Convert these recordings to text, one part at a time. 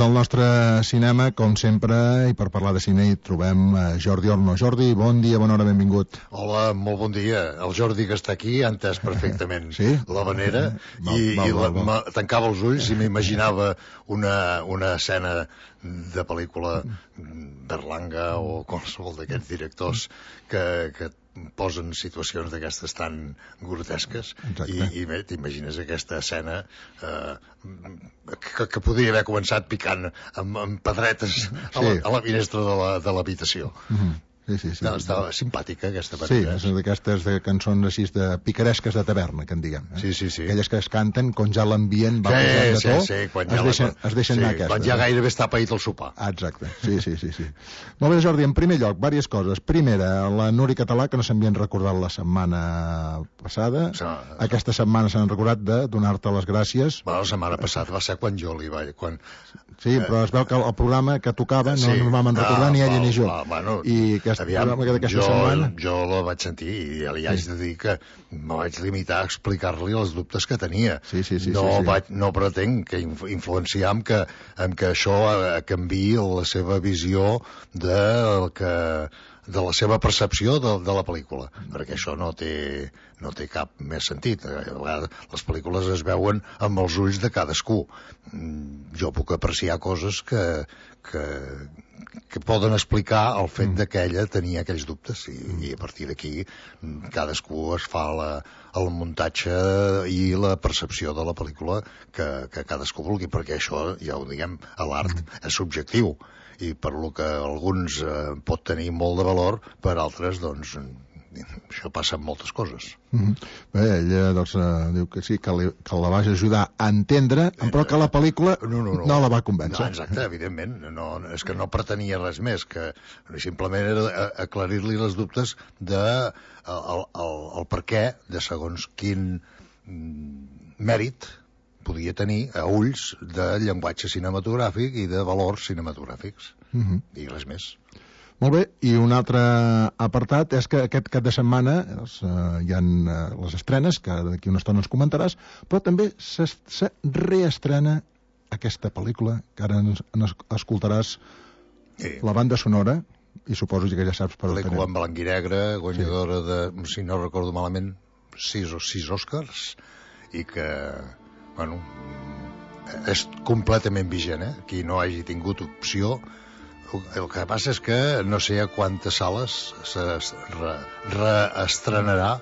del nostre cinema, com sempre, i per parlar de cine hi trobem Jordi Orno. Jordi, bon dia, bona hora, benvingut. Hola, molt bon dia. El Jordi que està aquí ha entès perfectament sí? l'havanera tancava els ulls i m'imaginava una escena de pel·lícula Berlanga o qualsevol d'aquests directors que posen situacions d'aquestes tan grotesques i bé, t'imagines aquesta escena que podria haver començat picant amb pedretes a la finestra de l'habitació. Sí. Estava simpàtica aquesta pel·lícula. Sí, d'aquestes cançons així de picaresques de taverna, que en diguem. Sí. Aquelles que es canten quan ja l'ambient va posant de to, es deixen anar aquestes. Quan ja gairebé està paït el sopar. Exacte, sí. Molt bé, Jordi, en primer lloc, diverses coses. Primera, la Núria Català, que no s'havien recordat la setmana passada. Aquesta setmana s'han recordat de donar-te les gràcies. La setmana passada va ser quan jo li vaig... Sí, però es veu que el programa que tocava no ens vam recordar ni ella ni jo. I jo la vaig sentir i ja li haig de dir que me vaig limitar a explicar-li els dubtes que tenia. No pretenc que influenciar amb que això canviï la seva visió de la seva percepció de la pel·lícula, perquè això no té cap més sentit. A vegades les pel·lícules es veuen amb els ulls de cadascú. Jo puc apreciar coses que poden explicar el fet que ella tenia aquells dubtes i a partir d'aquí cadascú es fa el muntatge i la percepció de la pel·lícula que cadascú vulgui, perquè això, ja ho diguem, a l'art és subjectiu i per lo que alguns pot tenir molt de valor, per altres doncs això passa amb moltes coses. Bé, ella doncs diu que sí, que la vas ajudar a entendre, però que la pel·lícula no la va convèncer. Exacte, evidentment, és que no pretenia res més, que simplement era aclarir-li els dubtes el per què de segons quin mèrit podia tenir a ulls de llenguatge cinematogràfic i de valors cinematogràfics i res més. Molt bé, i un altre apartat és que aquest cap de setmana hi ha les estrenes, que d'aquí una estona ens comentaràs, però també se reestrena aquesta pel·lícula, que ara escoltaràs la banda sonora, i suposo que ja saps per on anem. Pel·lícula en blanc i negre, guanyadora de, si no recordo malament, 6 Oscars, i que, bueno, és completament vigent, qui no hagi tingut opció. El que passa és que no sé a quantes sales reestrenarà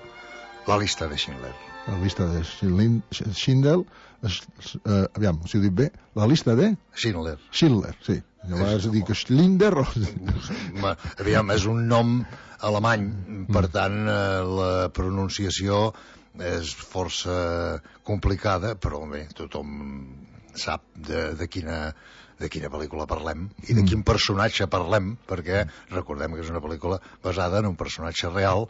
La llista de Schindler. La llista de Schindler, aviam, si ho dic bé, la llista de... Schindler, sí. Llavors dic Schindler o... Aviam, és un nom alemany, per tant la pronunciació és força complicada, però bé, tothom sap de quina pel·lícula parlem i de quin personatge parlem, perquè recordem que és una pel·lícula basada en un personatge real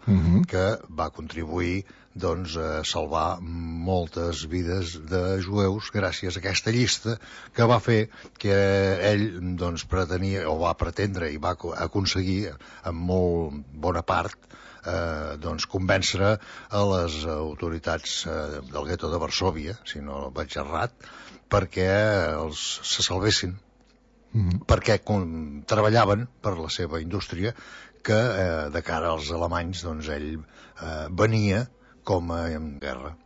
que va contribuir doncs, a salvar moltes vides de jueus gràcies a aquesta llista que va fer que ell doncs, pretenia o va pretendre i va aconseguir en molt bona part doncs convèncer a les autoritats del gueto de Varsòvia, si no vaig errat, perquè se salvessin, perquè treballaven per la seva indústria, que de cara als alemanys doncs ell venia com a guerra.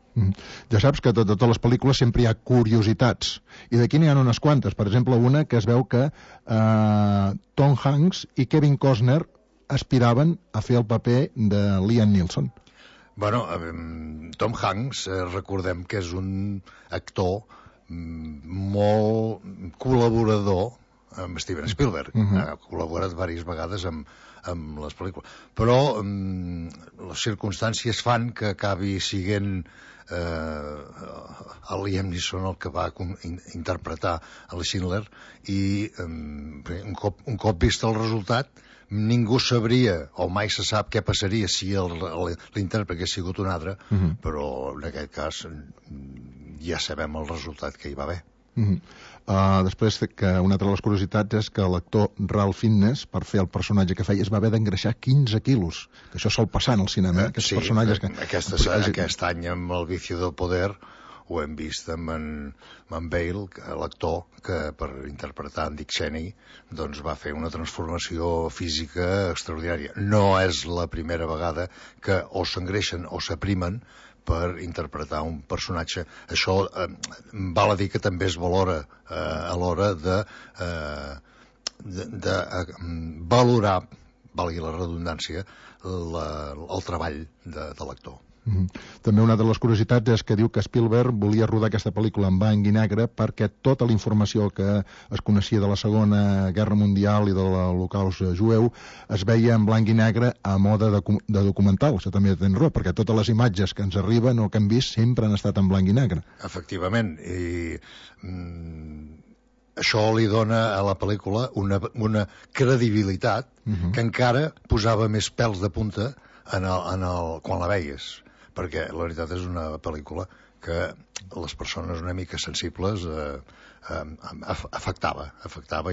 Ja saps que a totes les pel·lícules sempre hi ha curiositats, i d'aquí n'hi ha unes quantes. Per exemple, una que es veu que Tom Hanks i Kevin Costner aspiraven a fer el paper de Liam Neeson. Bueno, Tom Hanks, recordem que és un actor molt col·laborador amb Steven Spielberg. Ha col·laborat diverses vegades amb les pel·lícules. Però les circumstàncies fan que acabi siguent el Liam Neeson el que va interpretar el Schindler i un cop vist el resultat ningú sabria, o mai se sap què passaria si l'intèrpret hagués sigut un altre, però en aquest cas ja sabem el resultat que hi va haver. Després que una altra de les curiositats és que l'actor Ralph Fiennes, per fer el personatge que feia, es va haver d'engreixar 15 quilos, que això sol passar en el cinema, sí, aquest any amb El vicio del poder ho hem vist amb en Bale, l'actor, que per interpretar en Dick Cheney doncs va fer una transformació física extraordinària. No és la primera vegada que o s'engreixen o s'aprimen per interpretar un personatge. Això val a dir que també es valora a l'hora de valorar, valgui la redundància, el treball de l'actor. També una de les curiositats és que diu que Spielberg volia rodar aquesta pel·lícula en blanc i negre perquè tota la informació que es coneixia de la Segona Guerra Mundial i de l'Holocaust jueu es veia en blanc i negre a mode de documental. Això també tens raó, perquè totes les imatges que ens arriben o que hem vist sempre han estat en blanc i negre. Efectivament, i això li dona a la pel·lícula una credibilitat que encara posava més pèls de punta quan la veies, perquè la veritat és una pel·lícula que les persones una mica sensibles afectava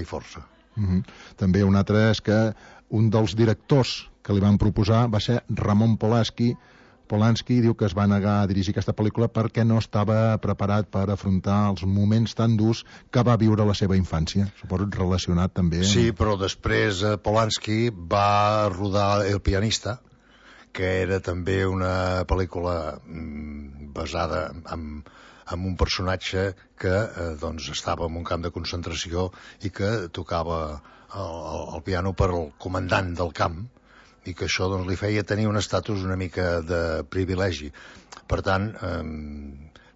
i força. També un altre és que un dels directors que li van proposar va ser Ramon Polanski. Polanski diu que es va negar a dirigir aquesta pel·lícula perquè no estava preparat per afrontar els moments tan durs que va viure la seva infància. Suposo relacionat també... Sí, però després Polanski va rodar El pianista, que era també una pel·lícula basada en un personatge que doncs estava en un camp de concentració i que tocava el piano per al comandant del camp, i que això doncs, li feia tenir un estatus una mica de privilegi. Per tant,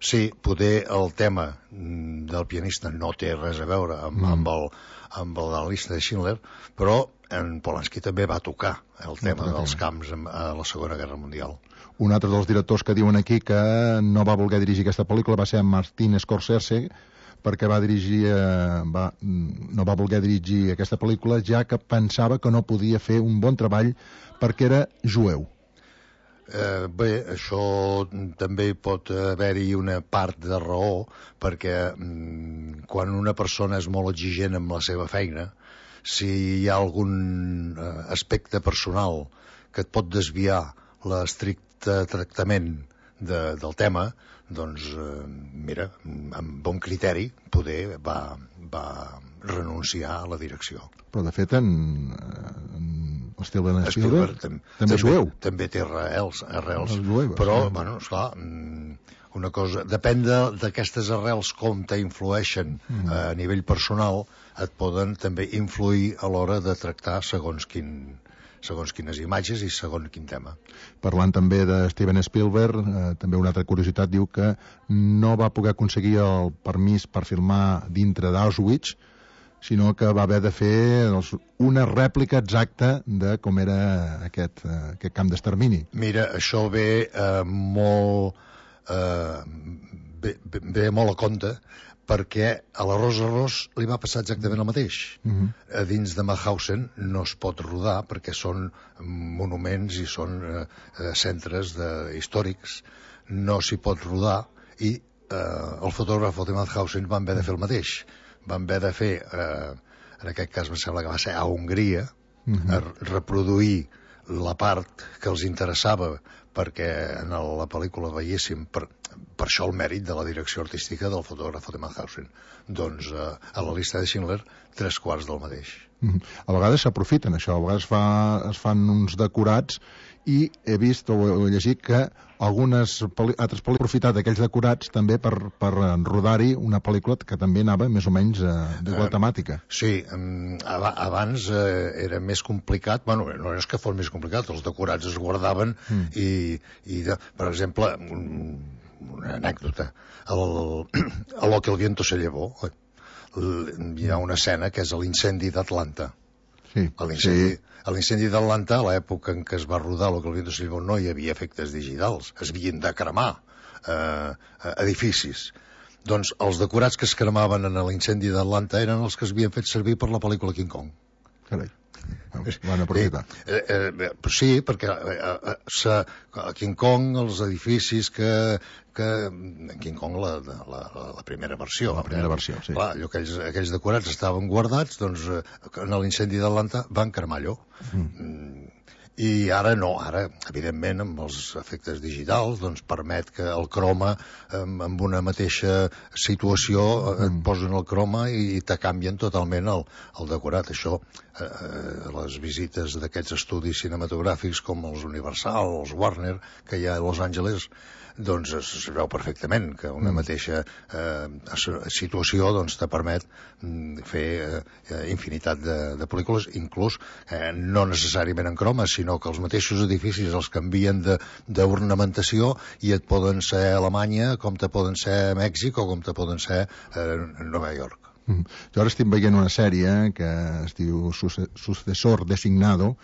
sí, poder el tema del pianista no té res a veure amb la llista de Schindler, però en Polanski també va tocar el tema dels camps a la Segona Guerra Mundial. Un altre dels directors que diuen aquí que no va voler dirigir aquesta pel·lícula va ser Martin Scorsese, perquè no va voler dirigir aquesta pel·lícula ja que pensava que no podia fer un bon treball perquè era jueu. Bé, això també pot haver-hi una part de raó, perquè quan una persona és molt exigent amb la seva feina, si hi ha algun aspecte personal que et pot desviar l'estricte tractament del tema, doncs, mira, amb bon criteri, poder va renunciar a la direcció. Però, de fet, Steven Spielberg també és jueu. També té arrels, però, bueno, esclar, una cosa, depèn d'aquestes arrels com t'influeixen a nivell personal, et poden també influir a l'hora de tractar segons quines imatges i segons quin tema. Parlant també de Steven Spielberg, també una altra curiositat diu que no va poder aconseguir el permís per filmar dintre d'Auschwitz, sinó que va haver de fer una rèplica exacta de com era aquest camp d'extermini. Mira, això ve molt a compte, perquè a la Rosa Ros li va passar exactament el mateix. A dins de Mauthausen no es pot rodar perquè són monuments i són centres històrics, no s'hi pot rodar, i el fotògraf de Mauthausen van haver de fer el mateix. Van haver de fer, en aquest cas em sembla que va ser a Hongria, a reproduir la part que els interessava perquè en la pel·lícula veiéssim, per això el mèrit de la direcció artística del fotògraf de Mauthausen. Doncs a la llista de Schindler, 3/4 del mateix. A vegades s'aprofiten això, a vegades es fan uns decorats, i he vist o he llegit que altres pel·lícules han aprofitat aquells decorats també per rodar-hi una pel·lícula que també anava més o menys d'igual temàtica. Sí, abans era més complicat, bueno, no és que fos més complicat, els decorats es guardaven i per exemple, una anècdota, a Lo que el viento se llevó hi ha una escena que és l'incendi d'Atlanta. Sí. A l'incendi d'Atlanta, a l'època en què es va rodar Lo que el viento se llevó, no hi havia efectes digitals, es havien de cremar edificis. Doncs els decorats que es cremaven en l'incendi d'Atlanta eren els que es havien fet servir per la pel·lícula King Kong. Carai, van aprofitar. Sí, perquè a King Kong els edificis King Kong la primera versió. La primera versió, sí. Clar, aquells decorats estaven guardats, doncs en l'incendi d'Atlanta van cremar allò. I ara no, ara, evidentment, amb els efectes digitals, doncs permet que el croma, amb una mateixa situació, et posen el croma i te canvien totalment el decorat. Això, les visites d'aquests estudis cinematogràfics com els Universal, els Warner, que hi ha a Los Angeles, doncs es veu perfectament que una mateixa situació doncs te permet fer infinitat de pel·lícules, inclús no necessàriament en croma, sinó que els mateixos edificis els canvien d'ornamentació i et poden ser a Alemanya com te poden ser a Mèxic o com te poden ser a Nova York. Jo ara estic veient una sèrie que es diu Sucesor Designado,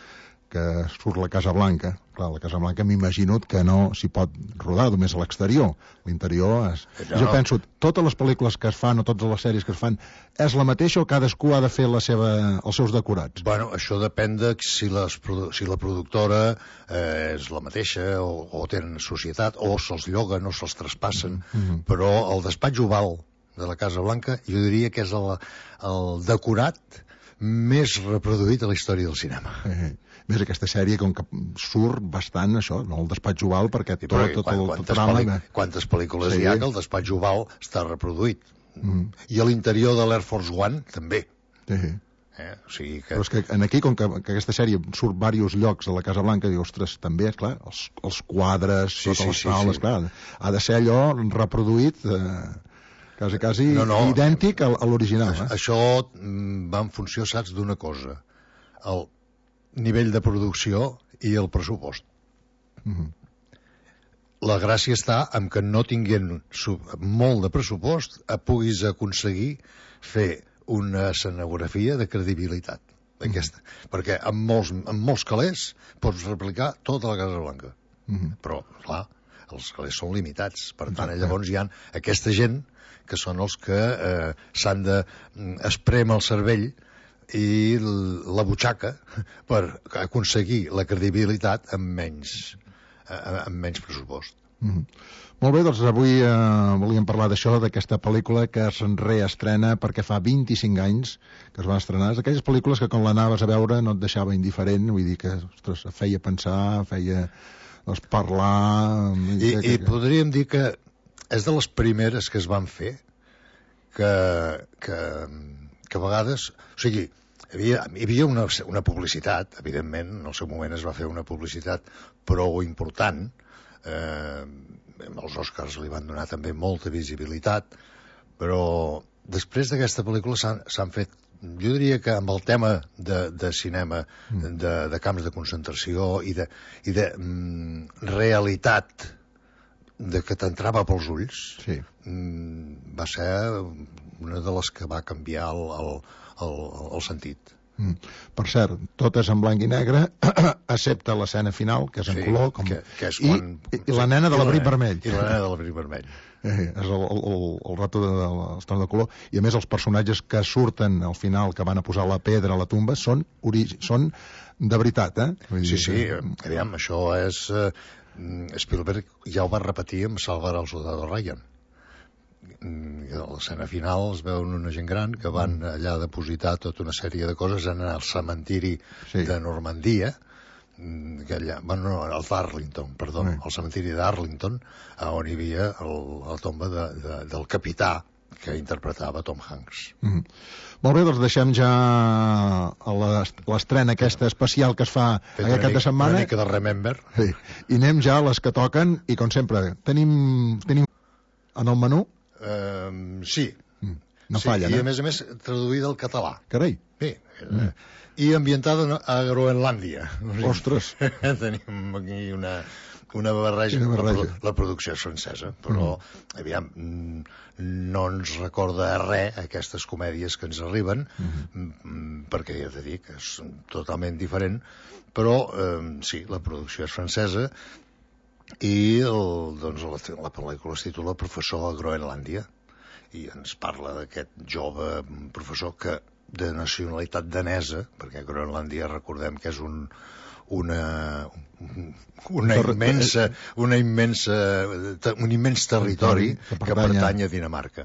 que surt la Casa Blanca. Clar, la Casa Blanca m'imagino que no s'hi pot rodar només a l'exterior. L'interior és... Jo penso, totes les pel·lícules que es fan o totes les sèries que es fan és la mateixa o cadascú ha de fer els seus decorats? Bueno, això depèn de si la productora és la mateixa o tenen societat o se'ls lloguen o se'ls traspassen, però el despatx oval de la Casa Blanca jo diria que és el decorat més reproduït a la història del cinema. Més aquesta sèrie com que surt bastant això, no? El despatx oval, perquè quantes pel·lícules hi ha que el despatx oval està reproduït. I a l'interior de l'Air Force One també. O sigui que... Però és que aquí, com que aquesta sèrie surt diversos llocs a la Casa Blanca, diu, ostres, també, clar, els quadres, totes les taules, clar, ha de ser allò reproduït quasi idèntic a l'original. Això va en funció, saps, d'una cosa, el nivell de producció i el pressupost. La gràcia està en que no tinguent molt de pressupost puguis aconseguir fer una escenografia de credibilitat d'aquesta, perquè amb molts calés pots replicar tota la Casa Blanca, però clar, els calés són limitats, per tant llavors hi ha aquesta gent que són els que s'han d'esprem el cervell i la butxaca per aconseguir la credibilitat amb menys pressupost. Molt bé, doncs avui volíem parlar d'això, d'aquesta pel·lícula que es reestrena perquè fa 25 anys que es va estrenar. És aquelles pel·lícules que quan l'anaves a veure no et deixava indiferent, vull dir que ostres, feia pensar, feia parlar... I podríem dir que és de les primeres que es van fer que a vegades... O sigui, hi havia una publicitat, evidentment, en el seu moment es va fer una publicitat prou important, els Oscars li van donar també molta visibilitat, però després d'aquesta pel·lícula s'han fet, jo diria que amb el tema de cinema, de camps de concentració i de realitat que t'entrava pels ulls, va ser una de les que va canviar el sentit. Per cert, tot és en blanc i negre, excepte l'escena final, que és en color, i la nena de l'abric vermell. I la nena de l'abric vermell. És el rato de l'estona de color. I a més els personatges que surten al final, que van a posar la pedra a la tumba, són de veritat, Sí, aviam, això és... Spielberg ja ho va repetir amb Salvar el soldado Ryan. A l'escena final es veuen una gent gran que van allà a depositar tota una sèrie de coses en el cementiri de Normandia, el d'Arlington, perdó, el cementiri d'Arlington, on hi havia la tomba del capità que interpretava Tom Hanks. Molt bé, doncs deixem ja l'estrena aquesta especial que es fa aquest cap de setmana. Una mica de Remember. I anem ja a les que toquen, i com sempre, tenim en el menú? Sí. No falla, i a més traduïda al català. Carai. Sí. I ambientada a Groenlàndia. Ostres. Tenim aquí una barreja. La producció és francesa, però aviam, no ens recorda res aquestes comèdies que ens arriben, perquè ja t'he dit que és totalment diferent, però sí, la producció és francesa i la pel·lícula es titula Professor a Groenlàndia i ens parla d'aquest jove professor que de nacionalitat danesa, perquè Groenlàndia recordem que és un un immens territori que pertany a Dinamarca.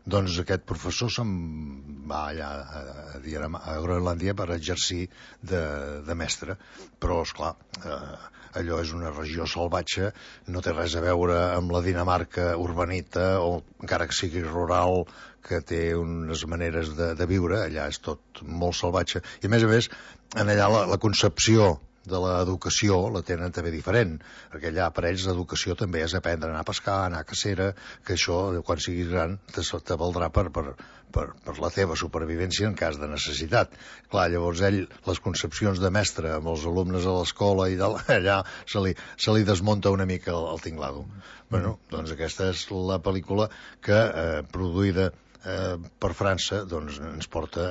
Doncs aquest professor se'n va allà a Groenlàndia per exercir de mestre, però esclar, allò és una regió salvatge, no té res a veure amb la Dinamarca urbanita o encara que sigui rural, que té unes maneres de viure. Allà és tot molt salvatge i a més en allà la concepció de l'educació la tenen també diferent, perquè allà per ells l'educació també és aprendre a anar a pescar, a anar a cacera, que això quan siguis gran te valdrà per la teva supervivència en cas de necessitat. Clar, llavors ell, les concepcions de mestre amb els alumnes a l'escola i allà se li desmunta una mica el tinglado. Bueno, doncs aquesta és la pel·lícula que, produïda per França, doncs ens porta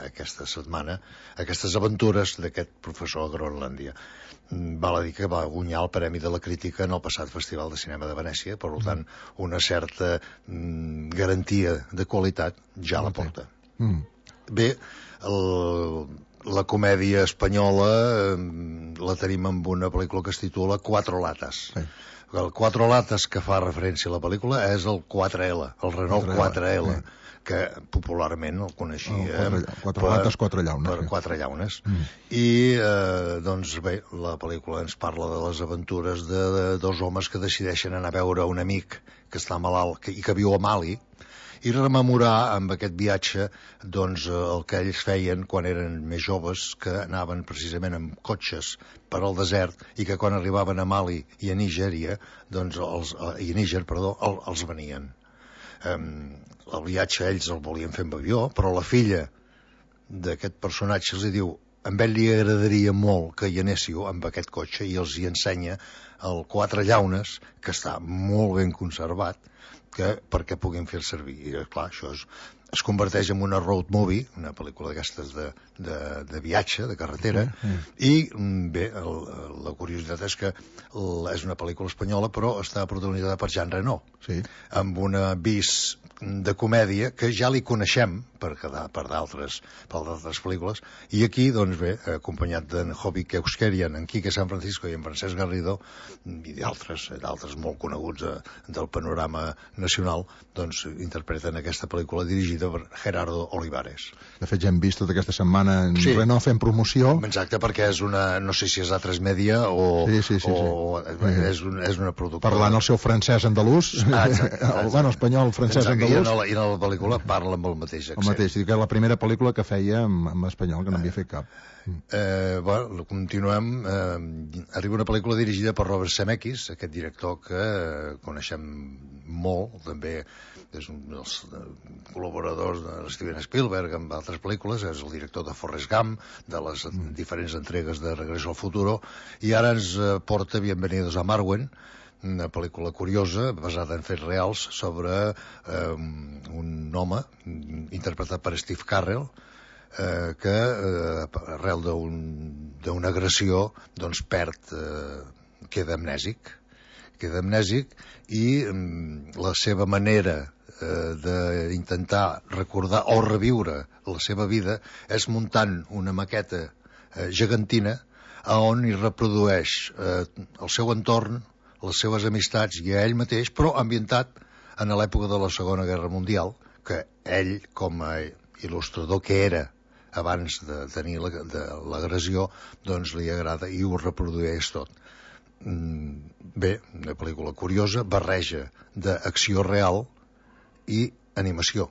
aquesta setmana aquestes aventures d'aquest professor a Groenlàndia. Val a dir que va guanyar el Premi de la Crítica en el passat Festival de Cinema de Venècia, per tant una certa garantia de qualitat ja la porta. Bé, la comèdia espanyola la tenim amb una pel·lícula que es titula Cuatro latas. El Cuatro latas que fa referència a la pel·lícula és el 4L, el Renault 4L, que popularment el coneixia Quatre lates, quatre llaunes. Per quatre llaunes. I, doncs bé, la pel·lícula ens parla de les aventures de dos homes que decideixen anar a veure un amic que està malalt i que viu a Mali, i rememorar amb aquest viatge doncs, el que ells feien quan eren més joves, que anaven precisament amb cotxes per al desert i que quan arribaven a Mali i a Níger, doncs els venien. El viatge ells el volien fer amb avió, però la filla d'aquest personatge els diu a ell li agradaria molt que hi anéssiu amb aquest cotxe, i els hi ensenya el Quatre llaunes, que està molt ben conservat, perquè puguin fer el servir. I clar, això es converteix en una road movie, una pel·lícula d'aquestes de viatge, de carretera, i bé, la curiositat és que és una pel·lícula espanyola, però està protagonitzada per Jean Reno, amb una vis de comèdia que ja li coneixem per d'altres pel·lícules, i aquí, doncs bé, acompanyat d'en Jovi Euskerian, en Quique San Francisco i en Francesc Garrido, i d'altres molt coneguts del panorama nacional, doncs interpreten aquesta pel·lícula dirigida per Gerardo Olivares. De fet, ja hem vist tota aquesta setmana en Renault fent promoció. Exacte, perquè és una, no sé si és A3 Media o és una productora. Parlant el seu francès andalús, bueno, espanyol, francès andalús. I en la pel·lícula parla amb el mateix accent. El mateix, que era la primera pel·lícula que feia amb espanyol, que no havia fet cap. Bueno, continuem. Arriba una pel·lícula dirigida per Robert Zemeckis, aquest director que coneixem molt, també és un dels col·laboradors de Steven Spielberg amb altres pel·lícules, és el director de Forrest Gump, de les diferents entregues de Regreso al Futuro, i ara ens porta Bienvenidos a Marwen, una pel·lícula curiosa, basada en fets reals, sobre un home interpretat per Steve Carell, que arrel d'una agressió doncs queda amnèsic i la seva manera d'intentar recordar o reviure la seva vida és muntant una maqueta gegantina on hi reprodueix el seu entorn, les seves amistats i a ell mateix, però ambientat en l'època de la Segona Guerra Mundial, que ell, com a il·lustrador que era abans de tenir l'agressió, doncs li agrada i ho reprodueix tot. Bé, una pel·lícula curiosa, barreja d'acció real i animació,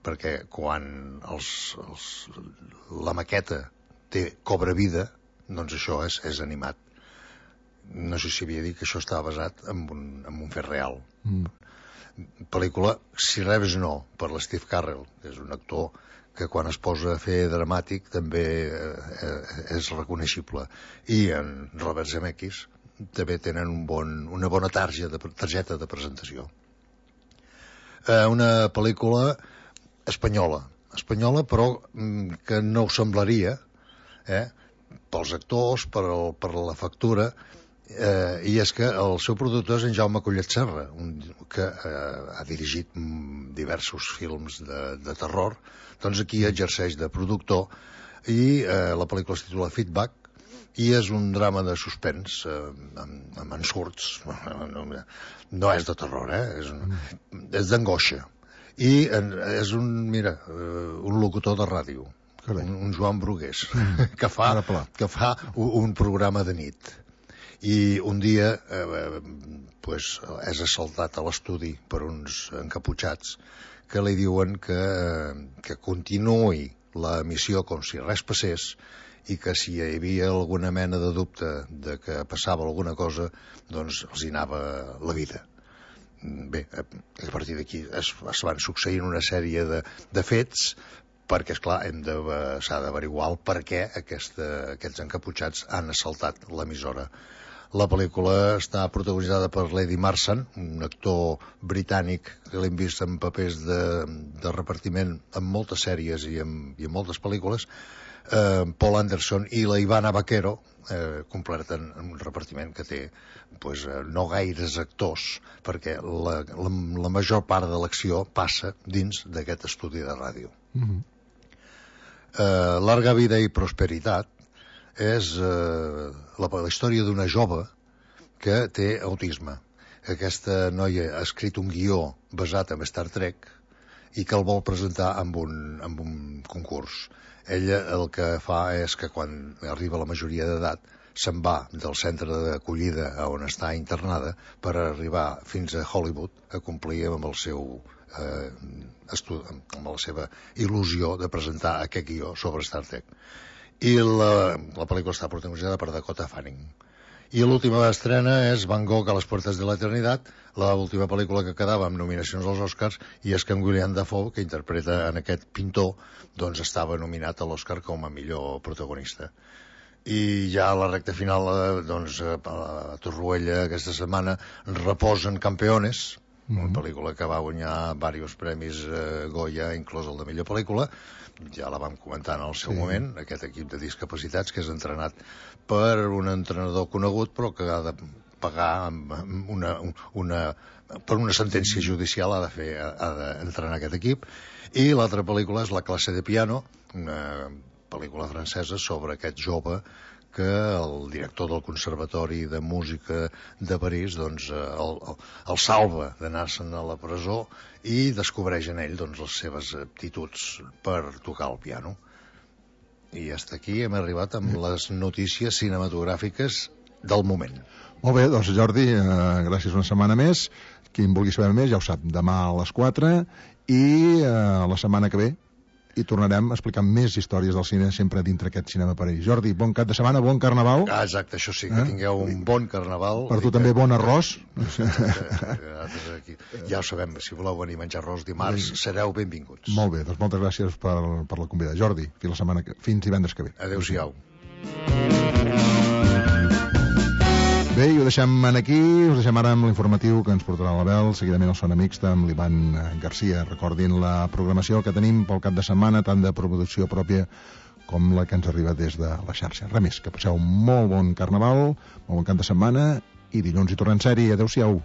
perquè quan la maqueta cobra vida, doncs això és animat. No sé si havia dit que això estava basat en un fet real. Pel·lícula, si res no, per l'Steve Carell, que és un actor que quan es posa a fer dramàtic també és reconeixible, i en Robert Zemeckis també tenen una bona targeta de presentació. Una pel·lícula espanyola però que no ho semblaria, pels actors, per la factura, i és que el seu productor és en Jaume Collet Serra, que ha dirigit diversos films de terror. Doncs aquí exerceix de productor, i la pel·lícula es titula Feedback, i és un drama de suspens amb ensurts. No és de terror, és d'angoixa. I és un locutor de ràdio, un Joan Brugués, que fa un programa de nit. I un dia és assaltat a l'estudi per uns encaputxats que li diuen que continuï l'emissió com si res passés i que si hi havia alguna mena de dubte de que passava alguna cosa, doncs els hi anava la vida. Bé, a partir d'aquí es van succeint una sèrie de fets perquè, esclar, s'ha d'averiguar el per què aquests encaputxats han assaltat l'emissora. La pel·lícula està protagonitzada per Lady Marsan, un actor britànic que l'hem vist en papers de repartiment en moltes sèries i en moltes pel·lícules. Paul Anderson i la Ivana Vaquero completen un repartiment que té no gaires actors, perquè la major part de l'acció passa dins d'aquest estudi de ràdio. Larga vida i prosperitat és la història d'una jove que té autisme. Aquesta noia ha escrit un guió basat en Star Trek i que el vol presentar amb un concurs. Ella el que fa és que quan arriba a la majoria d'edat se'n va del centre d'acollida on està internada per arribar fins a Hollywood a complir amb el seu amb la seva il·lusió de presentar aquest guió sobre Star Trek. I la pel·lícula està protagonitzada per Dakota Fanning. I l'última estrena és Van Gogh a les puertas de l'eternitat, l'última pel·lícula que quedava amb nominacions als Oscars, i és que en William Dafoe, que interpreta en aquest pintor, doncs estava nominat a l'Oscar com a millor protagonista. I ja a la recta final, doncs, a Torroella aquesta setmana reposen Campeones, una pel·lícula que va guanyar diversos premis Goya, inclòs el de millor pel·lícula. Ja la vam comentar en el seu moment, aquest equip de discapacitats que és entrenat per un entrenador conegut però que ha de pagar per una sentència judicial, ha d'entrenar aquest equip. I l'altra pel·lícula és La classe de piano, una pel·lícula francesa sobre aquest jove que el director del Conservatori de Música de París doncs, el salva d'anar-se'n a la presó i descobreix en ell doncs, les seves aptituds per tocar el piano. I fins aquí hem arribat amb les notícies cinematogràfiques del moment. Molt bé, doncs Jordi, gràcies una setmana més. Qui en vulgui saber més ja ho sap, demà a les 4 i la setmana que ve i tornarem a explicar més històries del cine sempre dintre aquest cinema per ells. Jordi, bon cap de setmana, bon carnaval. Exacte, això sí, que tingueu un bon carnaval. Per tu també bon arròs. Ja ho sabem, si voleu venir a menjar arròs dimarts, sereu benvinguts. Molt bé, doncs moltes gràcies per la convida. Jordi, fins divendres que ve. Adéu-siau. Bé, i ho deixem aquí, us deixem ara amb l'informatiu que ens portarà l'Abel, seguidament el Sona Mixta amb l'Ivan Garcia. Recordin la programació que tenim pel cap de setmana, tant de producció pròpia com la que ens arriba des de la xarxa. Res més, que passeu un molt bon carnaval, molt bon cap de setmana i dilluns hi tornem sèrie. Adéu-siau.